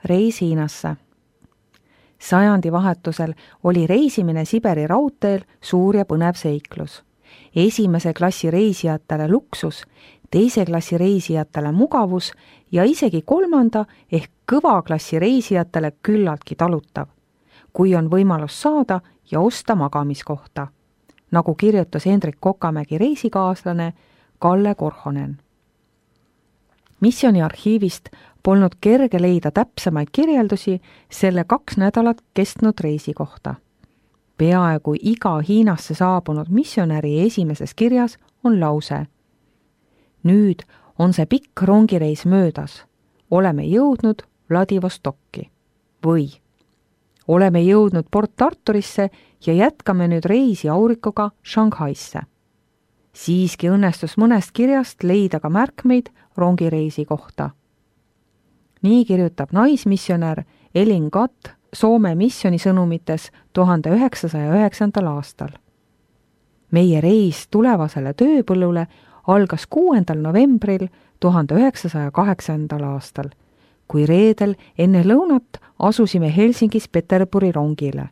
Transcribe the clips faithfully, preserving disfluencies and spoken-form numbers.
reis Hiinasse. Sajandi vahetusel oli reisimine Siberi raudteel suur ja põnev seiklus. Esimese klassi reisijatele luksus, teise klassi reisijatele mugavus ja isegi kolmanda ehk kõva klassi reisijatele küllaltki talutav, kui on võimalus saada ja osta magamiskohta, nagu kirjutas Hendrik Kokamägi reisikaaslane Kalle Korhonen. Missiooni arhiivist polnud kerge leida täpsemaid kirjeldusi selle kaks nädalat kestnud reisi kohta. Peaaegu iga Hiinasse saabunud missionäri esimeses kirjas on lause: nüüd on see pikk rongireis möödas, oleme jõudnud Vladivostokki või oleme jõudnud Port Arturisse ja jätkame nüüd reisi Aurikoga Shanghaisse. Siiski õnnestus mõnest kirjast leida ka märkmeid rongireisi kohta. Nii kirjutab naismissionär Elin Gatt Soome missiooni sõnumites tuhande üheksasaja üheksandal aastal. Meie reis tulevasele tööpõllule algas kuuendal novembril tuhande üheksasaja kaheksandal aastal, kui reedel enne lõunat asusime Helsingis Peterburi rongile.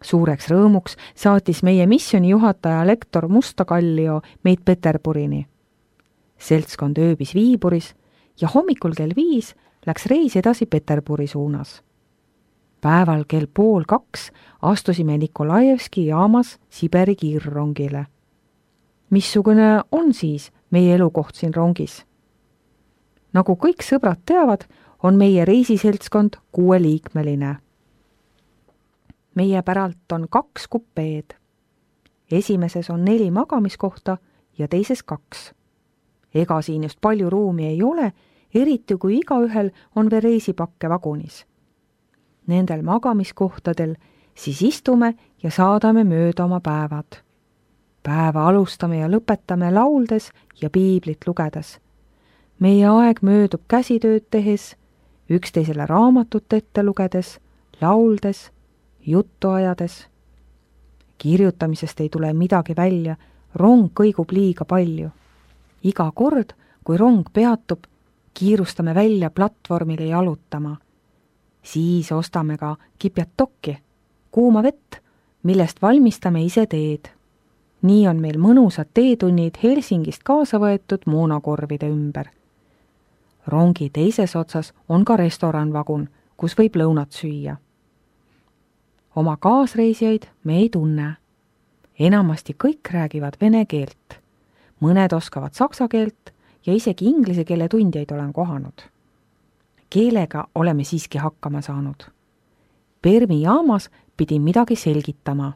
Suureks rõõmuks saatis meie missiooni juhataja lektor Musta Kallio meid Peterburini. Seltskond ööbis Viiburis ja hommikul kell viis läks reis edasi Peterburi suunas. Päeval kell pool kaks astusime Nikolajevski jaamas Siberi kiirrongile. Missugune on siis meie elukoht siin rongis? Nagu kõik sõbrad teavad, on meie reisiseltskond kuueliikmeline. Meie päralt on kaks kupeed. Esimeses on neli magamiskohta ja teises kaks. Ega siin just palju ruumi ei ole, eriti kui igaühel on veel reisipakke vagunis. Nendel magamiskohtadel siis istume ja saadame mööda oma päevad. Päeva alustame ja lõpetame lauldes ja piiblit lugedes. Meie aeg möödub käsitööd tehes, üksteisele raamatut ette lugedes, lauldes, juttu ajades. Kirjutamisest ei tule midagi välja, rong kõigub liiga palju. Iga kord, kui rong peatub, kiirustame välja platvormile jalutama. Siis ostame ka kipjatokki, kuuma vett, millest valmistame ise teed. Nii on meil mõnusad teetunnid Helsingist kaasa võetud moonakorvide ümber. Rongi teises otsas on ka restoranvagun, kus võib lõunat süüa. Oma kaasreisijaid me ei tunne. Enamasti kõik räägivad vene keelt. Mõned oskavad saksa keelt ja isegi inglise keele tundjaid olen kohanud. Keelega oleme siiski hakkama saanud. Permi jaamas pidin midagi selgitama.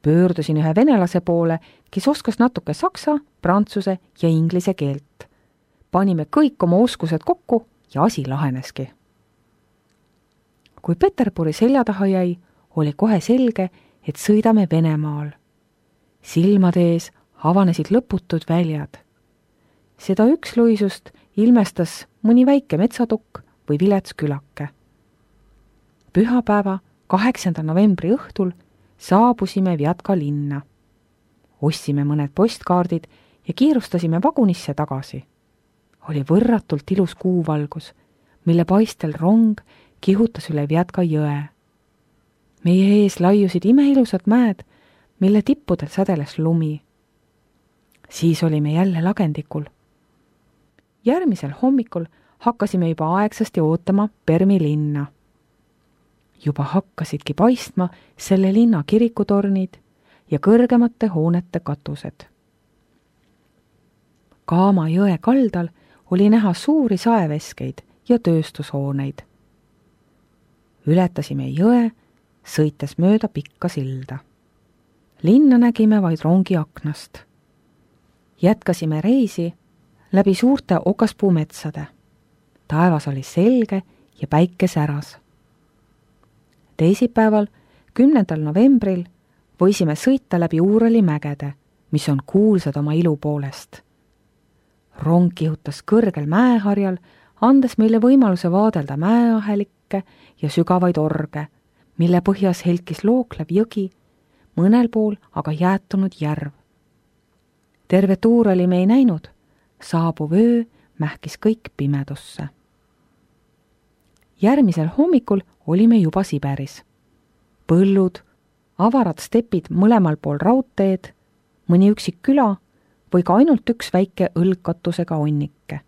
Pöördusin ühe venelase poole, kes oskas natuke saksa, prantsuse ja inglise keelt. Panime kõik oma oskused kokku ja asi laheneski. Kui Peterburi selja taha jäi, oli kohe selge, et sõidame Venemaal. Silmade ees avanesid lõputud väljad. Seda üksluisust ilmestas mõni väike metsatukk või vilets külake. Pühapäeva kaheksanda novembri õhtul saabusime Vjatka linna. Ostsime mõned postkaardid ja kiirustasime vagunisse tagasi. Oli võrratult ilus kuuvalgus, mille paistel rong kihutas üle Vjatka jõe. Meie ees laiusid imeilusad mäed, mille tippudel sädeles lumi. Siis olime jälle lagendikul. Järgmisel hommikul hakkasime juba aegsasti ootama Permi linna. Juba hakkasidki paistma selle linna kirikutornid ja kõrgemate hoonete katused. Kaama jõe kaldal oli näha suuri saeveskeid ja tööstushooneid. Ületasime jõe, sõites mööda pikka silda. Linna nägime vaid rongi aknast. Jätkasime reisi läbi suurte okaspuumetsade. Taevas oli selge ja päike säras. Teisipäeval, kümnendal novembril, võisime sõita läbi Uurali mägede, mis on kuulsad oma ilu poolest. Rong kihutas kõrgel mäeharjal, andes meile võimaluse vaadelda mäeahelikke ja sügavaid orge, mille põhjas helkis looklev jõgi, mõnel pool aga jäätunud järv. Terve Uurali me ei näinud, saabuv öö mähkis kõik pimedusse. järgmisel hommikul olime juba Siberis. Põllud, avarad stepid mõlemal pool raudteed, mõni üksik küla või ka ainult üks väike õlgkatusega onnike.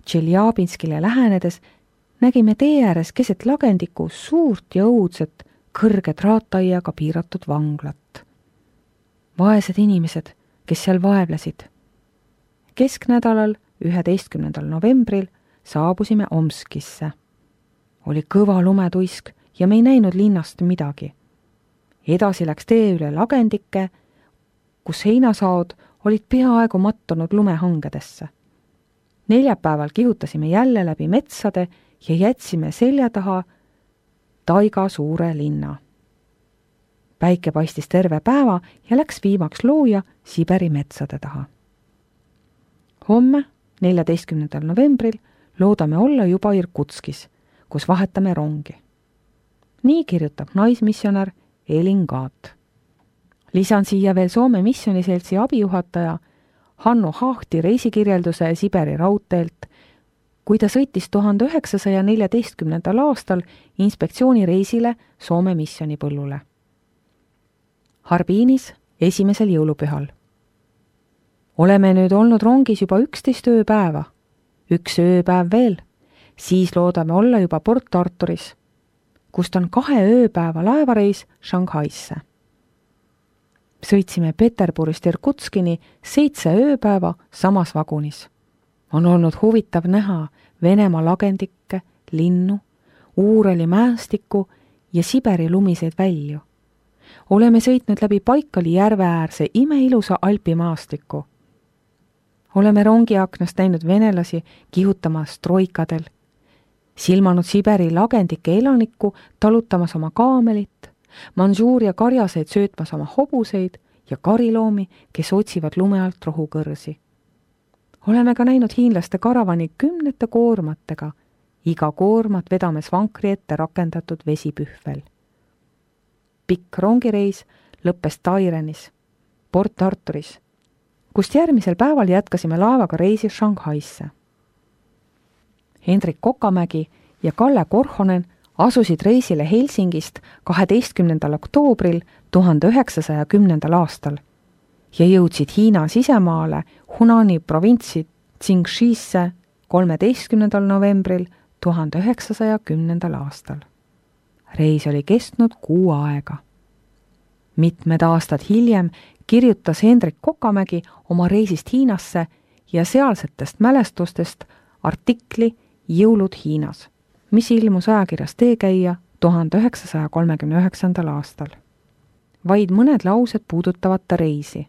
Tšeljabinskile lähenedes nägime tee ääres keset lagendiku suurt ja õudset kõrge traataiaga piiratud vanglat. Vaesed inimesed, kes seal vaevlesid. Kesknädalal, üheteistkümnendal novembril, saabusime Omskisse. Oli kõva lumetuisk ja me ei näinud linnast midagi. Edasi läks tee üle lagendike, kus heinasaod olid peaaegu mattunud lumehangedesse. Neljapäeval kihutasime jälle läbi metsade ja jätsime selja taha taiga suure linna. Päike paistis terve päeva ja läks viimaks looja Siberi metsade taha. Homme, neljateistkümnendal novembril, loodame olla juba Irkutskis, kus vahetame rongi. Nii kirjutab naismissionär Elin Gaat. Lisan siia veel Soome missioniseltsi abijuhataja Hannu Haahti reisikirjelduse Siberi raudteelt, kui ta sõitis tuhande üheksasaja neljateistkümnendal aastal inspektsioonireisile Soome missionipõllule. Harbinis esimesel jõulupühal. Oleme nüüd olnud rongis juba üksteist ööpäeva, üks ööpäev veel, siis loodame olla juba Port Arturis, kust on kahe ööpäeva laevareis Shanghaisse. Sõitsime Peterburist Irkutskini seitse ööpäeva samas vagunis. On olnud huvitav näha Venemaa lagendikke, linnu, Uurali mäestikku ja Siberi lumiseid välju. Oleme sõitnud läbi Baikali järve äärse imeilusa alpimaastiku. Oleme rongiaknast näinud venelasi kihutamas troikadel, silmanud Siberi lagendike elanikku talutamas oma kaamelit, Manžuuria karjaseid söötmas oma hobuseid ja kariloomi, kes otsivad lume alt rohukõrsi. Oleme ka näinud hiinlaste karavani kümnete koormatega, iga koormat vedames vankri ette rakendatud vesipühvel. Pikk rongireis lõppes Tairenis, Port Arturis, kust järgmisel päeval jätkasime laevaga reisi Shanghaisse. Hendrik Kokamägi ja Kalle Korhonen asusid reisile Helsingist kaheteistkümnendal oktoobril tuhande üheksasaja kümnendal aastal ja jõudsid Hiina sisemaale Hunani provintsi Tsingshisse kolmeteistkümnendal novembril tuhande üheksasaja kümnendal aastal. Reis oli kestnud kuu aega. Mitmed aastad hiljem kirjutas Hendrik Kokamägi oma reisist Hiinasse ja sealsetest mälestustest artikli Jõulud Hiinas, mis ilmus ajakirjas Teekäija tuhande üheksasaja kolmekümne üheksandal aastal. Vaid mõned laused puudutavad ta reisi,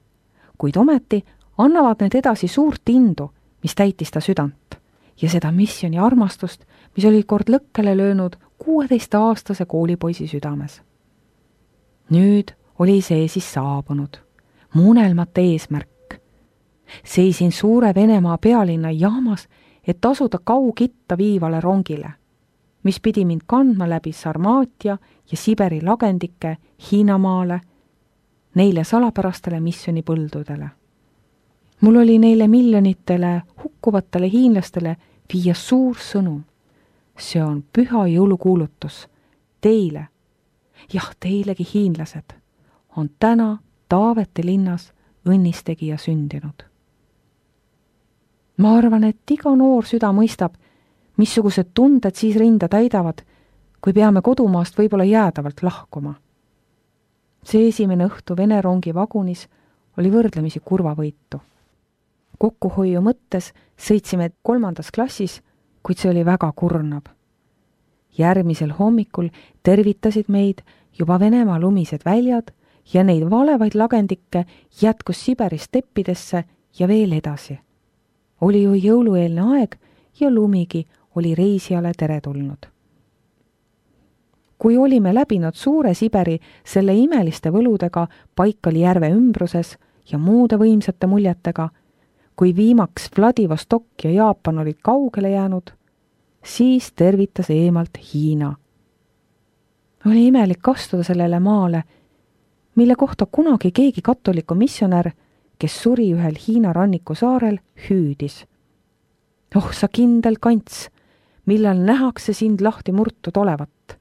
kuid ometi annavad need edasi suurt indu, mis täitis ta südant, ja seda missioni armastust, mis oli kord lõkkele löönud kuueteistaastase koolipoisi südames. Nüüd oli see siis saabunud, muunelmate eesmärk. Seisin suure Venemaa pealinna jaamas, et asuda Kaugitta viivale rongile, mis pidi mind kandma läbi Sarmaatia ja Siberi lagendike Hiinamaale, neile salapärastele missionipõldudele. Mul oli neile miljonitele hukkuvatele hiinlastele viia suur sõnum. See on püha jõulukuulutus. Teile, jah teilegi hiinlased, on täna Taavete linnas õnnistegija sündinud. Ma arvan, et iga noor süda mõistab, missugused tunded siis rinda täidavad, kui peame kodumaast võib-olla jäädavalt lahkuma. See esimene õhtu Vene rongi vagunis oli võrdlemisi kurvavõitu. Kokkuhoiu mõttes sõitsime kolmandas klassis, kuid see oli väga kurnab. Järgmisel hommikul tervitasid meid juba Venemaa lumised väljad ja neid valevaid lagendikke jätkus Siberi steppidesse ja veel edasi. Oli ju jõulueelne aeg ja lumigi oli reisijale teretulnud. Kui olime läbinud suure Siberi selle imeliste võludega Baikali järve ümbruses ja muude võimsate muljetega, kui viimaks Vladivostok ja Jaapan olid kaugele jäänud, siis tervitas eemalt Hiina. Oli imelik astuda sellele maale, mille kohta kunagi keegi katoliku missionär, kes suri ühel Hiina ranniku saarel, hüüdis. Oh sa kindel kants, millal nähakse sind lahti murtud olevat.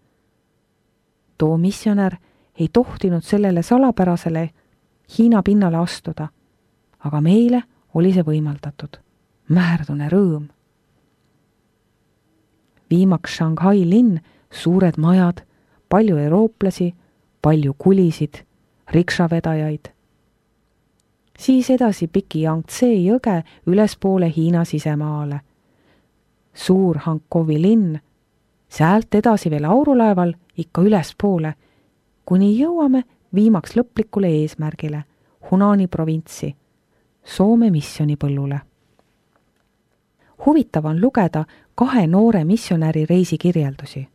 Too missionär ei tohtinud sellele salapärasele Hiina pinnale astuda, aga meile oli see võimaldatud. Märdune rõõm. Viimaks Shanghai linn, suured majad, palju eurooplasi, palju kulisid, riksavedajaid. Siis edasi piki Yangtze jõge ülespoole Hiina sisemaale. Suur Hankovi linn, sealt edasi veel aurulaeval ikka ülespoole, kuni jõuame viimaks lõplikule eesmärgile, Hunani provintsi, Soome missionipõllule. Huvitav on lugeda kahe noore missionäri reisikirjeldusi.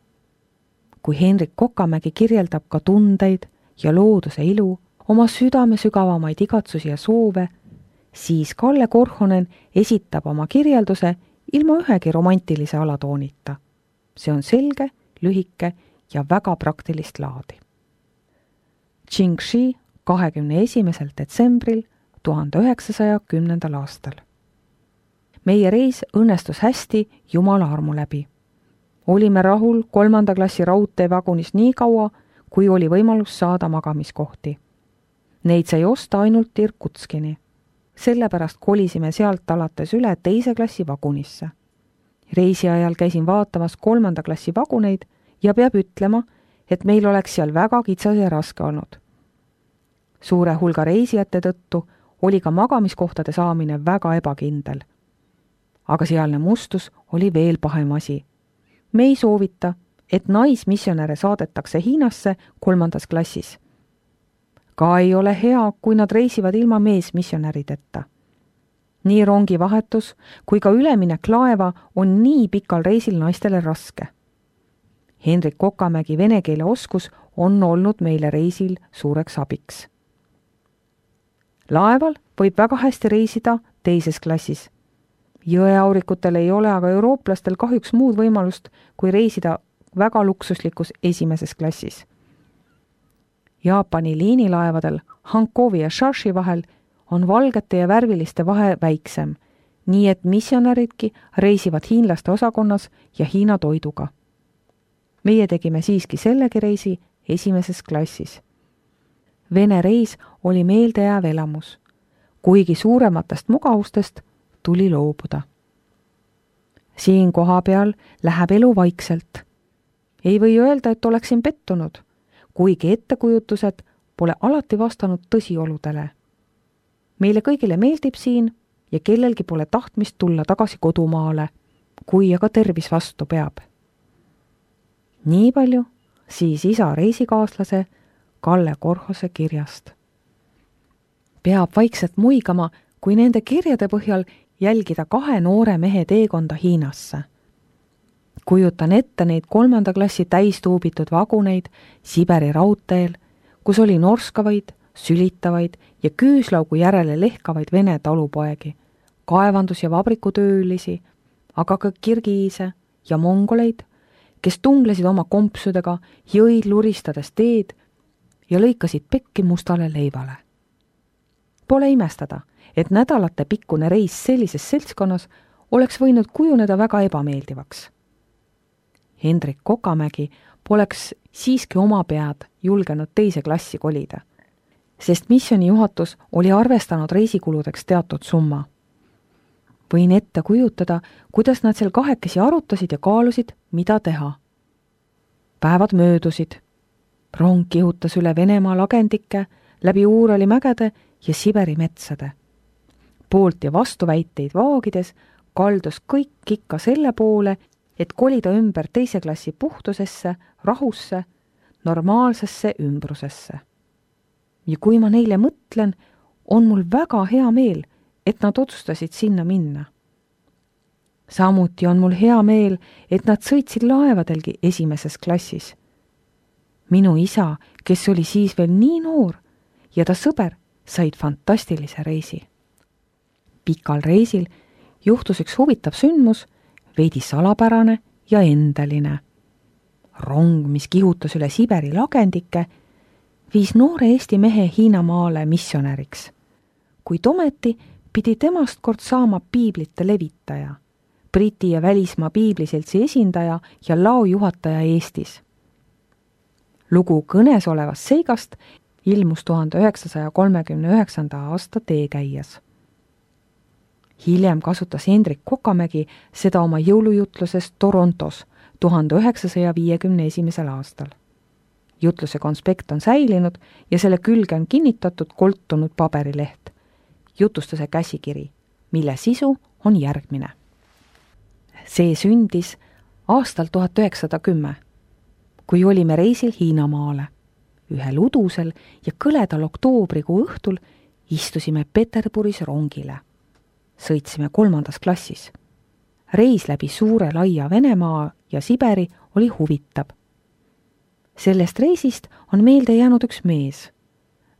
Kui Hendrik Kokamägi kirjeldab ka tundeid ja looduse ilu, oma südame sügavamaid igatsusi ja soove, siis Kalle Korhonen esitab oma kirjelduse ilma ühegi romantilise alatoonita. See on selge, lühike ja väga praktilist laadi. Qingxi kahekümne esimesel detsembril tuhande üheksasaja kümnendal aastal. Meie reis õnnestus hästi Jumala armu läbi. Olime rahul kolmanda klassi raudteevagunis nii kaua, kui oli võimalus saada magamiskohti. Neid sai osta ainult Irkutskini. Sellepärast kolisime sealt alates üle teise klassi vagunisse. Reisi ajal käisin vaatamas kolmanda klassi vaguneid ja peab ütlema, et meil oleks seal väga kitsas ja raske olnud. Suure hulga reisijate tõttu oli ka magamiskohtade saamine väga ebakindel. Aga sealne mustus oli veel pahem asi. Me ei soovita, et naismissionäre saadetakse Hiinasse kolmandas klassis. Ka ei ole hea, kui nad reisivad ilma meesmissionärideta. Nii rongivahetus kui ka üleminek laeva on nii pikal reisil naistele raske. Hendrik Kokamägi vene keele oskus on olnud meile reisil suureks abiks. Laeval võib väga hästi reisida teises klassis. Jõeaurikutel ei ole aga eurooplastel kahjuks muud võimalust, kui reisida väga luksuslikus esimeses klassis. Jaapani liinilaevadel Hankovi ja Shashi vahel on valgete ja värviliste vahe väiksem, nii et missionäridki reisivad hiinlaste osakonnas ja Hiina toiduga. Meie tegime siiski sellegi reisi esimeses klassis. Vene reis oli meeldejääv elamus, kuigi suurematest mugavustest tuli loobuda. Siin koha peal läheb elu vaikselt. Ei või öelda, et oleksin pettunud, kuigi ettekujutused pole alati vastanud tõsioludele. Meile kõigile meeldib siin ja kellelgi pole tahtmist tulla tagasi kodumaale, kui aga tervis vastu peab. Nii palju siis isa reisikaaslase Kalle Korhose kirjast. Peab vaikselt muigama, kui nende kirjade põhjal jälgida kahe noore mehe teekonda Hiinasse. Kujutan ette neid kolmanda klassi täistuubitud vaguneid Siberi raudteel, kus oli norskavaid, sülitavaid ja küüslaugu järele lehkavaid vene talupoegi, kaevandus- ja vabrikutöölisi, aga ka kirgiise ja mongoleid, kes tunglesid oma kompsudega, jõid luristades teed ja lõikasid pekki mustale leivale. Pole imestada, et nädalate pikkune reis sellises seltskonnas oleks võinud kujuneda väga ebameeldivaks. Hendrik Kokamägi poleks siiski oma pead julgenud teise klassi kolida, sest missioni juhatus oli arvestanud reisikuludeks teatud summa. Võin ette kujutada, kuidas nad seal kahekesi arutasid ja kaalusid, mida teha. Päevad möödusid. Rong kihutas üle Venemaa lagendike, läbi Uurali mägede ja Siberi metsade. Poolt ja vastuväiteid vaagides kaldus kõik ikka selle poole, et kolida ümber teise klassi puhtusesse, rahusse, normaalsesse ümbrusesse. Ja kui ma neile mõtlen, on mul väga hea meel, et nad otsustasid sinna minna. Samuti on mul hea meel, et nad sõitsid laevadelgi esimeses klassis. Minu isa, kes oli siis veel nii noor, ja ta sõber said fantastilise reisi. Pikal reisil juhtus üks huvitav sündmus, veidi salapärane ja endeline. Rong, mis kihutas üle Siberi lagendike, viis noore Eesti mehe Hiinamaale missionäriks. Kuid ometi pidi temast kord saama piiblite levitaja, Briti ja välismaa piibliseltsi esindaja ja laojuhataja Eestis. Lugu kõnes olevast seigast ilmus tuhande üheksasaja kolmekümne üheksanda aasta teekäijas. Hiljem kasutas Hendrik Kokamägi seda oma jõulujutluses Torontos tuhande üheksasaja viiekümne esimesel aastal. Jutluse konspekt on säilinud ja selle külge on kinnitatud koltunud paberileht, jutustuse käsikiri, mille sisu on järgmine. See sündis aastal tuhat üheksasada kümme, kui olime reisil Hiinamaale. Ühel udusel ja kõledal oktoobrikuu õhtul istusime Peterburis rongile. Sõitsime kolmandas klassis. Reis läbi suure laia Venemaa ja Siberi oli huvitav. Sellest reisist on meelde jäänud üks mees.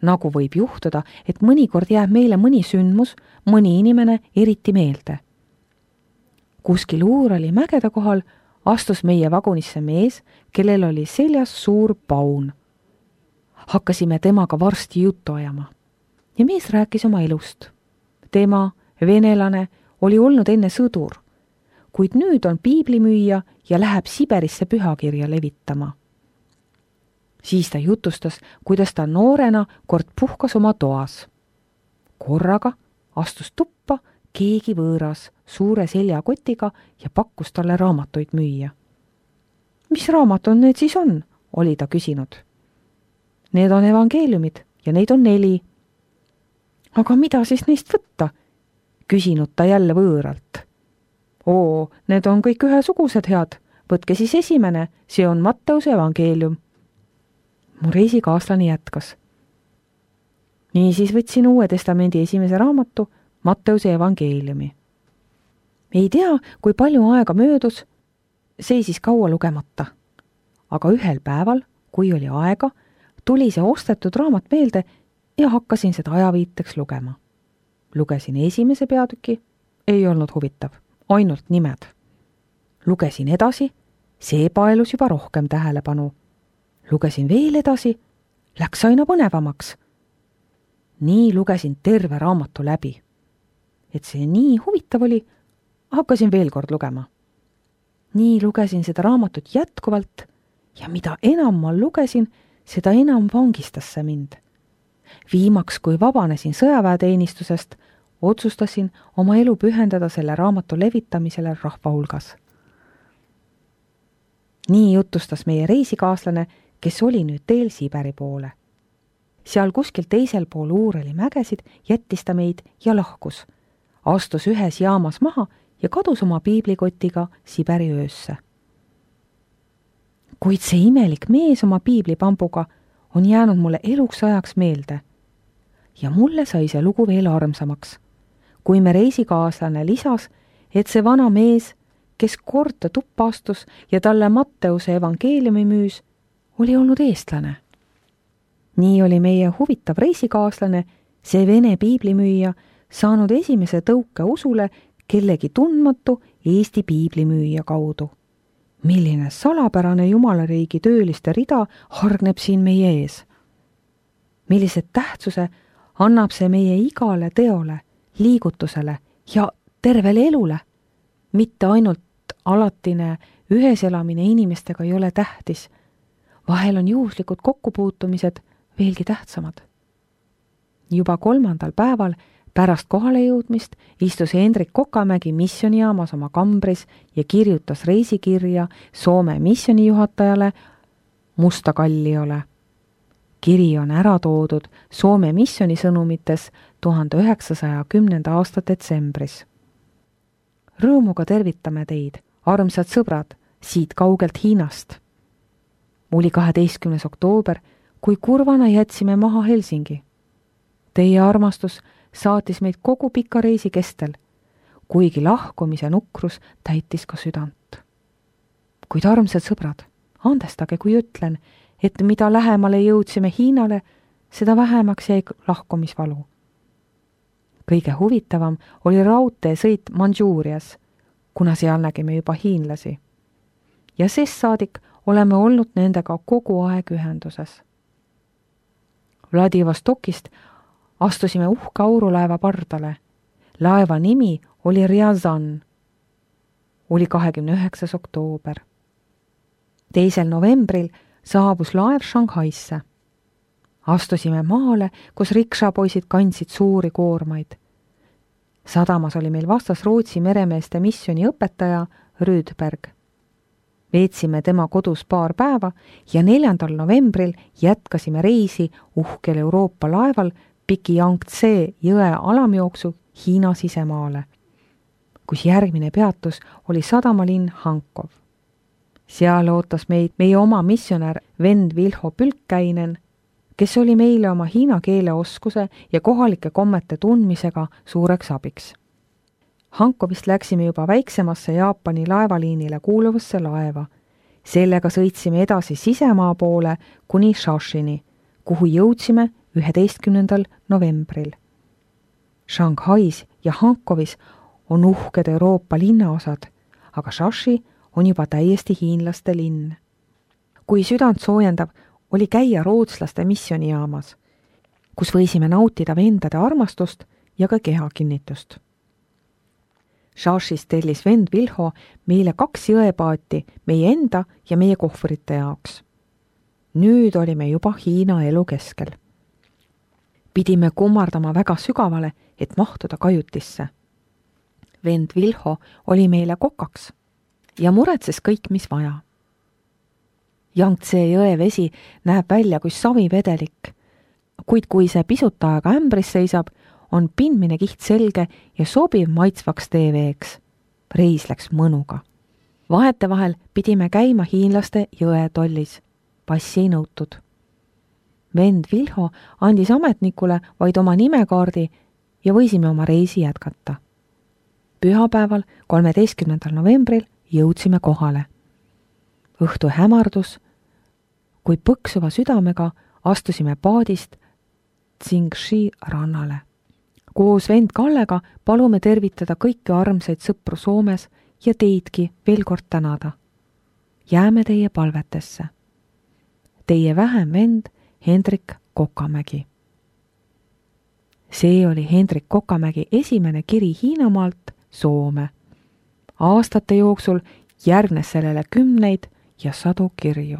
Nagu võib juhtuda, et mõnikord jääb meile mõni sündmus, mõni inimene eriti meelde. Kuskil Uurali mägede kohal astus meie vagunisse mees, kellel oli seljas suur paun. Hakkasime temaga varsti juttu ajama. Ja mees rääkis oma elust. Tema, venelane, oli olnud enne sõdur, kuid nüüd on piiblimüüja ja läheb Siberisse pühakirja levitama. Siis ta jutustas, kuidas ta noorena kord puhkas oma toas. Korraga astus tuppa keegi võõras suure seljakotiga ja pakkus talle raamatuid müüa. Mis raamatud need siis on, oli ta küsinud. Need on evangeeliumid ja neid on neli. Aga mida siis neist võtta? Küsinud ta jälle võõralt. Oo, need on kõik ühesugused head. Võtke siis esimene, see on Matteuse evangeelium. Mu reisikaaslane jätkas. Nii siis võtsin Uue Testamendi esimese raamatu, Matteuse evangeeliumi. Ei tea, kui palju aega möödus, seisis kaua lugemata. Aga ühel päeval, kui oli aega, tuli see ostetud raamat meelde ja hakkasin seda ajaviiteks lugema. Lugesin esimese peatüki, ei olnud huvitav, ainult nimed. Lugesin edasi, see paelus juba rohkem tähelepanu. Lugesin veel edasi, läks aina põnevamaks. Nii lugesin terve raamatu läbi. Et see nii huvitav oli, hakkasin veel kord lugema. Nii lugesin seda raamatut jätkuvalt ja mida enam ma lugesin, seda enam vangistas see mind. Viimaks, kui vabanesin sõjaväeteenistusest, otsustasin oma elu pühendada selle raamatu levitamisele rahva hulgas. Nii jutustas meie reisikaaslane, kes oli nüüd teel Siberi poole. Seal kuskil teisel pool Uurali mägesid jättis ta meid ja lahkus. Astus ühes jaamas maha ja kadus oma piiblikotiga Siberi öösse. Kuid see imelik mees oma piiblipambuga on jäänud mulle eluks ajaks meelde. Ja mulle sai see lugu veel armsamaks, kui me reisikaaslane lisas, et see vana mees, kes kord ta tuppa astus ja talle Matteuse evangeeliumi müüs, oli olnud eestlane. Nii oli meie huvitav reisikaaslane, see vene piiblimüüja, saanud esimese tõuke usule kellegi tundmatu Eesti piiblimüüja kaudu. Milline salapärane jumalariigi tööliste rida hargneb siin meie ees? Millised tähtsuse annab see meie igale teole, liigutusele ja tervele elule? Mitte ainult alatine ühes elamine inimestega ei ole tähtis. Vahel on juhuslikud kokkupuutumised veelgi tähtsamad. Juba kolmandal päeval pärast kohale jõudmist istus Hendrik Kokamägi missionijaamas oma kambris ja kirjutas reisikirja Soome missionijuhatajale Musta Kalliole. Kiri on ära toodud Soome missionisõnumites tuhande üheksasaja kümnenda aasta detsembris. Rõõmuga tervitame teid, armsad sõbrad, siit kaugelt Hiinast. Oli kaheteistkümnes oktoober, kui kurvana jätsime maha Helsingi. Teie armastus saatis meid kogu pika reisi kestel, kuigi lahkumise nukrus täitis ka südant. Kuid armsad sõbrad, andestage, kui ütlen, et mida lähemale jõudsime Hiinale, seda vähemaks jäi lahkumisvalu. Kõige huvitavam oli raudtee sõit Mandžuurias, kuna seal nägime juba hiinlasi. Ja sest saadik oleme olnud nendega kogu aeg ühenduses. Vladivostokist astusime uhka aurulaeva pardale. Laeva nimi oli Riazan. oli kahekümne üheksas oktoober. teisel novembril saabus laev Shanghaisse. Astusime maale, kus rikšapoisid kandsid suuri koormaid. Sadamas oli meil vastas Rootsi meremeeste missiooni õpetaja Rydberg. Veetsime tema kodus paar päeva ja neljandal novembril jätkasime reisi uhkel Euroopa laeval Piki Yangtze jõe alamjooksu Hiina sisemaale, kus järgmine peatus oli sadamalinn Hankov. Seal ootas meid meie oma missionär vend Vilho Pülkkäinen, kes oli meile oma hiina keele oskuse ja kohalike kommete tundmisega suureks abiks. Hankovist läksime juba väiksemasse Jaapani laevaliinile kuuluvasse laeva. Sellega sõitsime edasi sisemaa poole kuni Shashini, kuhu jõudsime üheteistkümnendal novembril. Shanghais ja Hankovis on uhked Euroopa linnaosad, aga Shashi on juba täiesti hiinlaste linn. Kui südant soojendav oli käia rootslaste missionijaamas, kus võisime nautida vendade armastust ja ka kehakinnitust. Shashis tellis vend Vilho meile kaks jõepaati meie enda ja meie kohvrite jaoks. Nüüd olime juba Hiina elu keskel. Pidime kummardama väga sügavale, et mahtuda kajutisse. Vend Vilho oli meile kokaks ja muretses kõik, mis vaja. Yangtze jõe vesi näeb välja kui savivedelik, kuid kui see pisut aega ämbris seisab, on pindmine kiht selge ja sobiv maitsvaks teeveeks. Reis läks mõnuga. Vahetevahel pidime käima hiinlaste jõe tollis. Passi ei nõutud. Vend Vilho andis ametnikule vaid oma nimekaardi ja võisime oma reisi jätkata. Pühapäeval, kolmeteistkümnendal novembril jõudsime kohale. Õhtu hämardus, kui põksuva südamega astusime paadist Tsingxi rannale. Koos vend Kallega palume tervitada kõiki armsaid sõpru Soomes ja teidki veel kord tänada. Jääme teie palvetesse. Teie vähem vend Hendrik Kokamägi. See oli Hendrik Kokamägi esimene kiri Hiinamaalt Soome. Aastate jooksul järgnes sellele kümneid ja sadu kirju.